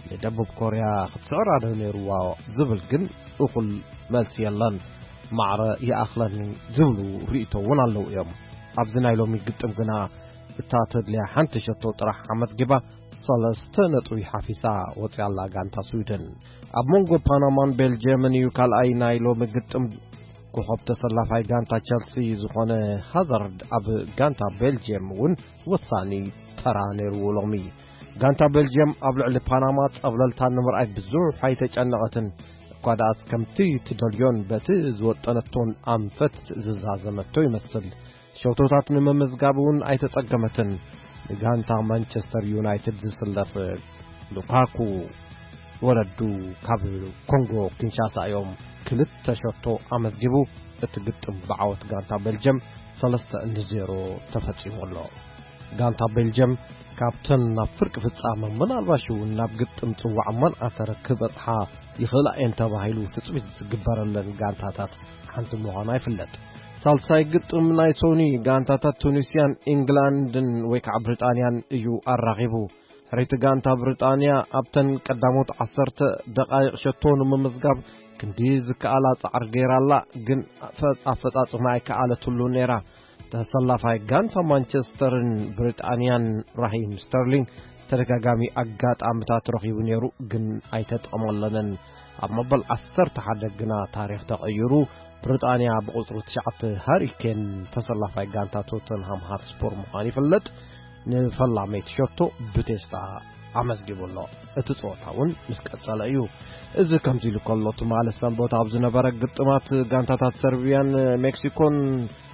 ንደቡብ ኮርያ ክትስዕራ ዶ ነይርዋ ዝብል ግን እኹል መልሲ የለን። ማዕረ ይኣኽለኒ ዝብሉ ርእይቶ እውን ኣለዉ እዮም። ኣብዚ ናይ ሎሚ ግጥም ግና እታ ተድልያ ሓንቲ ሸቶ ጥራሕ ኣመዝጊባ ሰለስተ ነጥቢ ሓፊሳ ወፂኣላ ጋንታ ስዊድን። ኣብ መንጎ ፓናማን ቤልጅየምን እዩ ካልኣይ ናይ ሎሚ ግጥም። ኮኸብ ተሰላፋይ ጋንታ ቸልሲ ዝኾነ ሃዛርድ ኣብ ጋንታ ቤልጅየም እውን ወሳኒ ተራ ነይርዎ ሎሚ። ጋንታ ቤልጅየም ኣብ ልዕሊ ፓናማ ጸብለልታ ንምርኣይ ብዙሕ ኣይተጨነቐትን። እኳ ደኣስ ከምቲ ትደልዮን በቲ ዝወጠነቶን ኣንፈት ዝዛዘመቶ ይመስል። ሸቶታት ንምምዝጋብ እውን ኣይተጸገመትን። ንጋንታ ማንቸስተር ዩናይትድ ዝስለፍ ሉካኩ ወለዱ ካብ ኮንጎ ኪንሻሳ እዮም። ክልተ ሸቶ ኣመዝጊቡ። እቲ ግጥም ብዓወት ጋንታ ቤልጅየም ሰለስተ ንዜሮ ተፈጺሙ ኣሎ። ጋንታ ቤልጅየም ካብተን ናብ ፍርቂ ፍጻመ ምናልባሽ እውን ናብ ግጥም ጽዋዕ መን ኣተረ ክበጽሓ ይኽእላ እየን ተባሂሉ ትጽቢት ዝግበረለን ጋንታታት ሓንቲ ምዃና ይፍለጥ። ሳልሳይ ግጥም ናይ ሶኒ ጋንታታት ቱኒስያን ኢንግላንድን ወይ ከዓ ብሪጣንያን እዩ ኣራኺቡ። ሕሪቲ ጋንታ ብሪጣንያ ኣብተን ቀዳሞት ዓሰርተ ደቓይቕ ሸቶ ንምምዝጋብ ክንዲ ዝከኣላ ጻዕሪ ገይራ ኣላ፣ ግን ኣፈ-፣ ኣፈጻጽማ ኣይከኣለትሉ ነይራ። ተሰላፋይ ጋንታ ማንቸስተርን ብሪጣንያን ራሂም ስተርሊንግ ተደጋጋሚ ኣጋጣምታት ረኺቡ ነይሩ፣ ግን ኣይተጠቐመለንን። ኣብ መበል ዓሰርተ ሓደ ግና ታሪኽ ተቐይሩ። ብሪጣንያ ብቁጽሪ ትሽዓተ ሃሪ ኬን ተሰላፋይ ጋንታ ቶተንሃም ሃትስፖር ምዃኑ ይፍለጥ። ንፈላመይቲ ሸቶ ብቴስታ ኣመዝጊቡ ኣሎ። እቲ ጸወታ እውን ምስ ቀጸለ እዩ። እዚ ከምዚ ኢሉ ከሎ፣ ትማሊ ሰንበት ኣብ ዝነበረ ግጥማት ጋንታታት ሰርቢያን ሜክሲኮን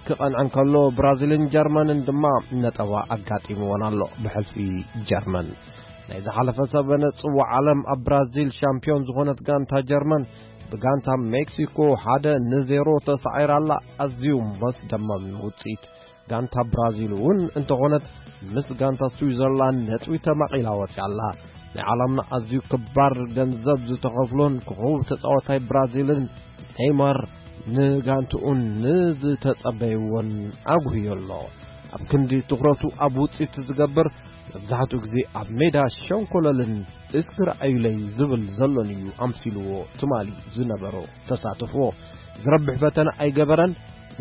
ክቐንዐን ከሎ፣ ብራዚልን ጀርመንን ድማ ነጠባ ኣጋጢምወን ኣሎ ብሕልፊ ጀርመን። ናይ ዝሓለፈ ሰበነ ጽዋዕ ዓለም ኣብ ብራዚል ሻምፒዮን ዝኾነት ጋንታ ጀርመን ብጋንታ ሜክሲኮ ሓደ ንዜሮ ተሳዒራ ኣላ። ኣዝዩ መስደመም ውጽኢት። ጋንታ ብራዚል እውን እንተኾነት ምስ ጋንታ ስዊዘርላንድ ነጥቢ ተማቒላ ወፂኣ ኣላ። ናይ ዓለምና ኣዝዩ ክባር ገንዘብ ዝተኸፍሎን ኮኸብ ተፃዋታይ ብራዚልን ኔይማር ንጋንትኡን ንዝተጸበይዎን ኣጉህዮ ኣሎ። ኣብ ክንዲ ትኹረቱ ኣብ ውጽኢት ዝገብር፣ መብዛሕትኡ ግዜ ኣብ ሜዳ ሸንኮለልን እስኪ ረኣዩለይ ዝብል ዘሎን እዩ ኣምሲልዎ ትማሊ ዝነበሮ ተሳትፎ። ዝረብሕ ፈተነ ኣይገበረን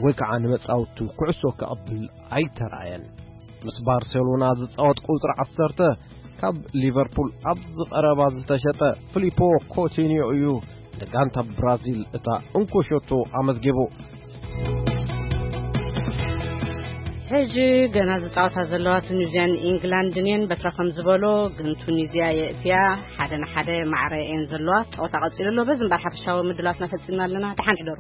ወይ ከዓ ንመጻወቱ ኩዕሶ ከቐብል ኣይተራእየን። ምስ ባርሴሎና ዝጻወት ቁጽሪ ዓሰርተ ካብ ሊቨርፑል ኣብዚ ቀረባ ዝተሸጠ ፊሊፖ ኮቲኒዮ እዩ። ንጋንታ ብራዚል እታ እንኮ ሸቶ ኣመዝጊቡ። ሕጂ ገና ዝጻወታ ዘለዋ ቱኒዝያን ኢንግላንድን እየን። በትረ ከም ዝበሎ ግን ቱኒዝያ የእትያ ሓደ ንሓደ ማዕረ እየን ዘለዋ። ጸወታ ቀጺሉ ኣሎ። በዚ እምበር ሓፈሻዊ ምድላትና ፈጺምና ኣለና። ደሓን ሕደሩ።